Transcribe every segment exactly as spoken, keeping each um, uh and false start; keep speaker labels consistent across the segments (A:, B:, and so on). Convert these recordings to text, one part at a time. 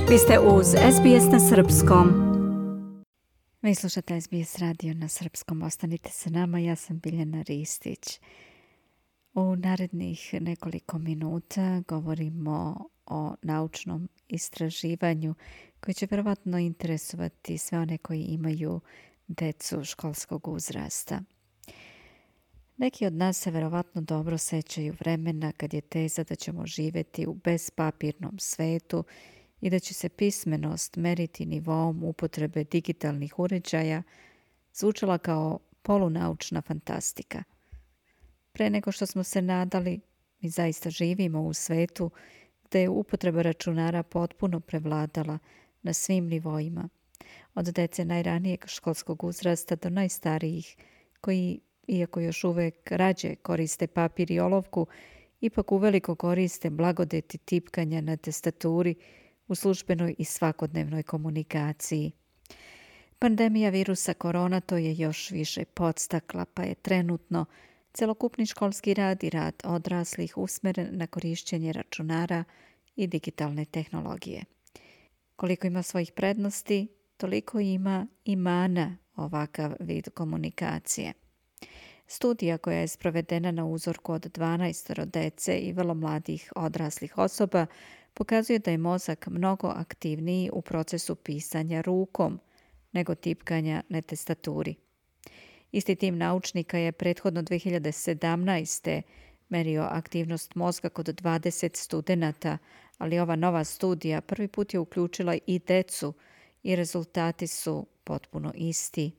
A: Vi ste uz S B S na srpskom. Vi slušate S B S radio na srpskom. Ostanite sa nama, ja sam Biljana Ristić. U narednih nekoliko minuta govorimo o naučnom istraživanju koje će verovatno interesovati sve one koji imaju decu školskog uzrasta. Neki od nas se verovatno dobro sećaju vremena kad je teza da ćemo živjeti u bezpapirnom svetu i da će se pismenost meriti nivoom upotrebe digitalnih uređaja zvučala kao polunaučna fantastika. Pre nego što smo se nadali, mi zaista živimo u svetu gde je upotreba računara potpuno prevladala na svim nivoima, od dece najranijeg školskog uzrasta do najstarijih koji, iako još uvek rađe koriste papir i olovku, ipak uveliko koriste blagodeti tipkanja na tastaturi u službenoj i svakodnevnoj komunikaciji. Pandemija virusa korona to je još više podstakla, pa je trenutno celokupni školski rad i rad odraslih usmeren na korišćenje računara i digitalne tehnologije. Koliko ima svojih prednosti, toliko ima i mana ovakav vid komunikacije. Studija koja je sprovedena na uzorku od dvanaest dece i vrlo mladih odraslih osoba pokazuje da je mozak mnogo aktivniji u procesu pisanja rukom nego tipkanja na tastaturi. Isti tim naučnika je prethodno dve hiljade sedamnaeste. merio aktivnost mozga kod dvadeset studenata, ali ova nova studija prvi put je uključila i decu i rezultati su potpuno isti.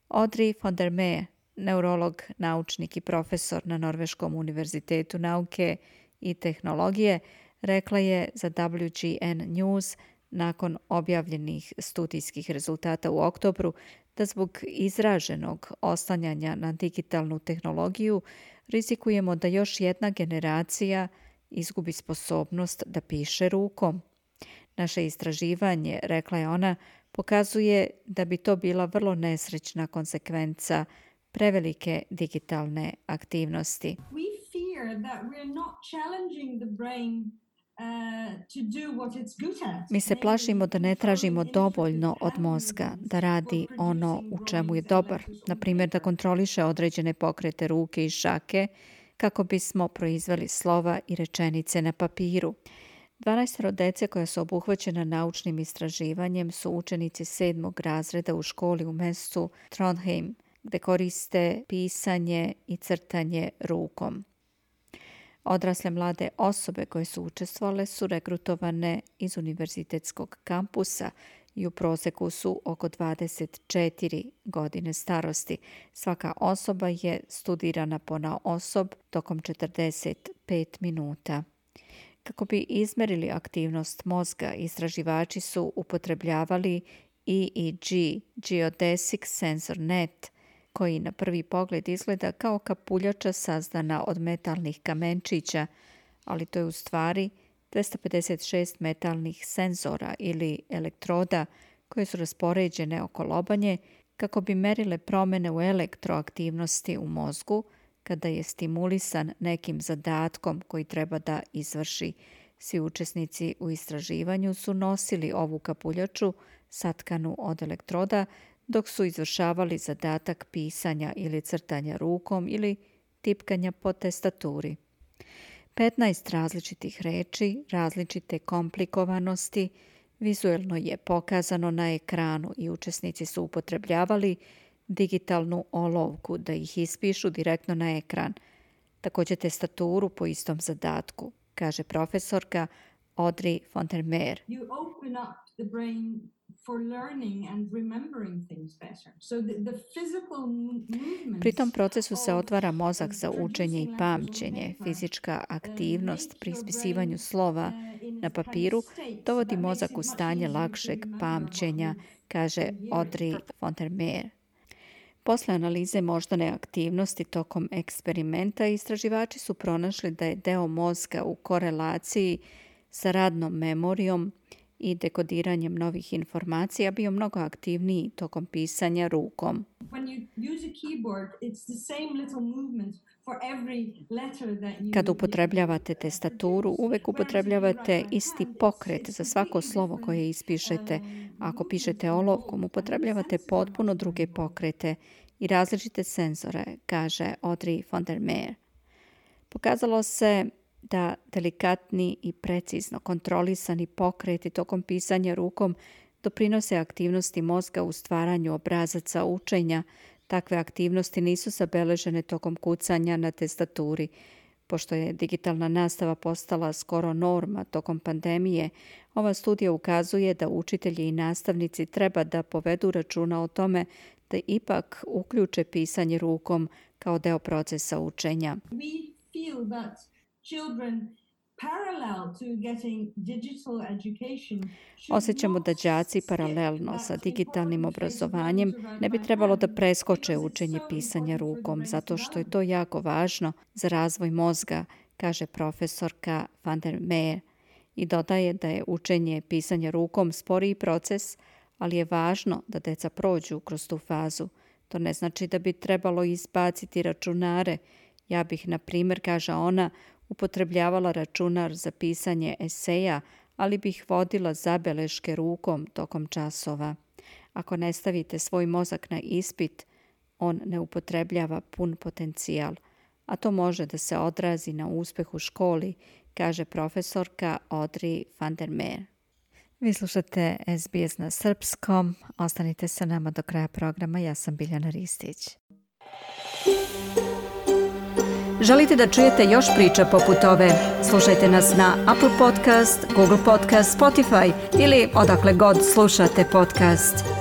A: Audrey von der Meer, neurolog, naučnik i profesor na Norveškom univerzitetu nauke i tehnologije, rekla je za W G N News nakon objavljenih studijskih rezultata u oktobru da zbog izraženog oslanjanja na digitalnu tehnologiju rizikujemo da još jedna generacija izgubi sposobnost da piše rukom. Naše istraživanje, rekla je ona, pokazuje da bi to bila vrlo nesrećna konsekvenca prevelike digitalne aktivnosti. We fear that we're not challenging the brain. Mi se plašimo da ne tražimo dovoljno od mozga da radi ono u čemu je dobar, na primjer da kontroliše određene pokrete ruke i šake kako bismo proizveli slova i rečenice na papiru. dvanaest dece koja su obuhvaćena naučnim istraživanjem su učenici sedmog razreda u školi u mestu Trondheim, gde koriste pisanje i crtanje rukom. Odrasle mlade osobe koje su učestvovale su regrutovane iz univerzitetskog kampusa i u proseku su oko dvadeset četiri godine starosti. Svaka osoba je studirana ponaosob tokom četrdeset pet minuta. Kako bi izmerili aktivnost mozga, istraživači su upotrebljavali E E G, Geodesic Sensor Net, koji na prvi pogled izgleda kao kapuljača sazdana od metalnih kamenčića, ali to je u stvari dvesta pedeset šest metalnih senzora ili elektroda koje su raspoređene oko lobanje kako bi merile promjene u elektroaktivnosti u mozgu kada je stimulisan nekim zadatkom koji treba da izvrši. Svi učesnici u istraživanju su nosili ovu kapuljaču satkanu od elektroda dok su izvršavali zadatak pisanja ili crtanja rukom ili tipkanja po tastaturi. petnaest različitih reči, različite komplikovanosti, vizuelno je pokazano na ekranu i učesnici su upotrebljavali digitalnu olovku da ih ispišu direktno na ekran. Također tastaturu po istom zadatku, kaže profesorka Audrey von der Meer. You open up the brain for learning and remembering things better. So the, the physical movements. Pri tom procesu se otvara mozak za učenje i pamćenje. Fizička aktivnost pri ispisivanju slova na papiru dovodi mozak u stanje lakšeg pamćenja, kaže Audrey von der Meer. Posle analize moždane aktivnosti tokom eksperimenta, istraživači su pronašli da je deo mozga u korelaciji sa radnom memorijom i dekodiranjem novih informacija bio mnogo aktivniji tokom pisanja rukom. Kad upotrebljavate tastaturu, uvek upotrebljavate isti pokret za svako slovo koje ispišete. Ako pišete olovkom, upotrebljavate potpuno druge pokrete i različite senzore, kaže Audrey von der Meer. Pokazalo se da delikatni i precizno kontrolisani pokreti tokom pisanja rukom doprinose aktivnosti mozga u stvaranju obrazaca učenja. Takve aktivnosti nisu zabeležene tokom kucanja na tastaturi. Pošto je digitalna nastava postala skoro norma tokom pandemije, ova studija ukazuje da učitelji i nastavnici treba da povedu računa o tome da ipak uključe pisanje rukom kao deo procesa učenja.
B: We feel that children parallel to getting digital education.
A: Osjećamo da đaci paralelno sa digitalnim obrazovanjem ne bi trebalo da preskoče učenje pisanja rukom, zato što je to jako važno za razvoj mozga, kaže profesorka van der Meer, i dodaje da je učenje pisanja rukom sporiji proces, ali je važno da deca prođu kroz tu fazu. To ne znači da bi trebalo izbaciti računare. Ja bih, na primjer, kaže ona, upotrebljavala računar za pisanje eseja, ali bih vodila zabeleške rukom tokom časova. Ako ne stavite svoj mozak na ispit, on ne upotrebljava pun potencijal, a to može da se odrazi na uspeh u školi, kaže profesorka Audrey van der Meer. Vi slušate S B S na srpskom. Ostanite sa nama do kraja programa. Ja sam Biljana Ristić. Želite da čujete još priča poput ove? Slušajte nas na Apple Podcast, Google Podcast, Spotify ili odakle god slušate podcast.